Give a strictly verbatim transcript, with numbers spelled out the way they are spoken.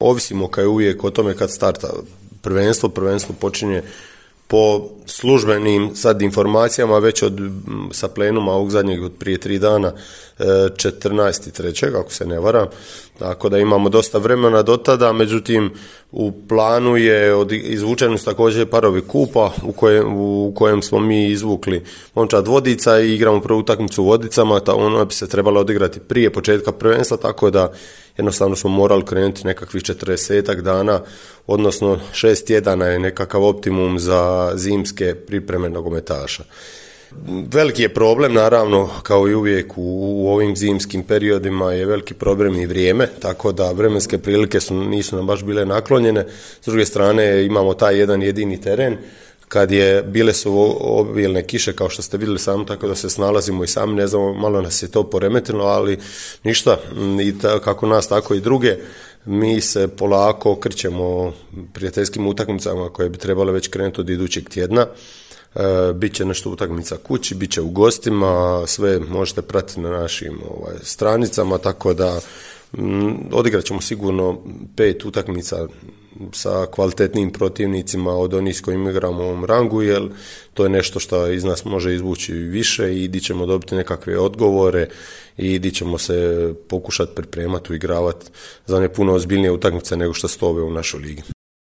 Ovisimo kao je uvijek o tome kad starta prvenstvo. Prvenstvo počinje po službenim sad informacijama već od sa plenuma ovog zadnjeg od prije tri dana, četrnaestog trećeg ako se ne varam, tako da imamo dosta vremena do tada. Međutim, u planu je od, izvučeni su također parovi kupa u kojem, u kojem smo mi izvukli momčad Vodica i igramo prvu utakmicu u Vodicama. Ta, ona bi se trebala odigrati prije početka prvenstva, tako da jednostavno smo morali krenuti nekakvih četrdesetak dana, odnosno šest tjedana je nekakav optimum za zimske pripreme nogometaša. Veliki je problem, naravno, kao i uvijek u, u ovim zimskim periodima je veliki problem i vrijeme, tako da vremenske prilike su, nisu nam baš bile naklonjene. S druge strane imamo taj jedan jedini teren, kad je, bile su obilne kiše kao što ste vidjeli sami, tako da se snalazimo i sami, ne znamo, malo nas je to poremetilo, ali ništa, i ta, kako nas, tako i druge. Mi se polako okrećemo prijateljskim utakmicama koje bi trebale već krenuti od idućeg tjedna. E, Biće nešto utakmica kući, bit će u gostima, sve možete pratiti na našim ovaj, stranicama, tako da m, odigrat ćemo sigurno pet utakmica sa kvalitetnim protivnicima od onih s kojim igramo u ovom rangu, jer to je nešto što iz nas može izvući više i di ćemo dobiti nekakve odgovore i di ćemo se pokušati pripremati, uigravati za ne puno ozbiljnije utakmice nego što su ove u našoj ligi.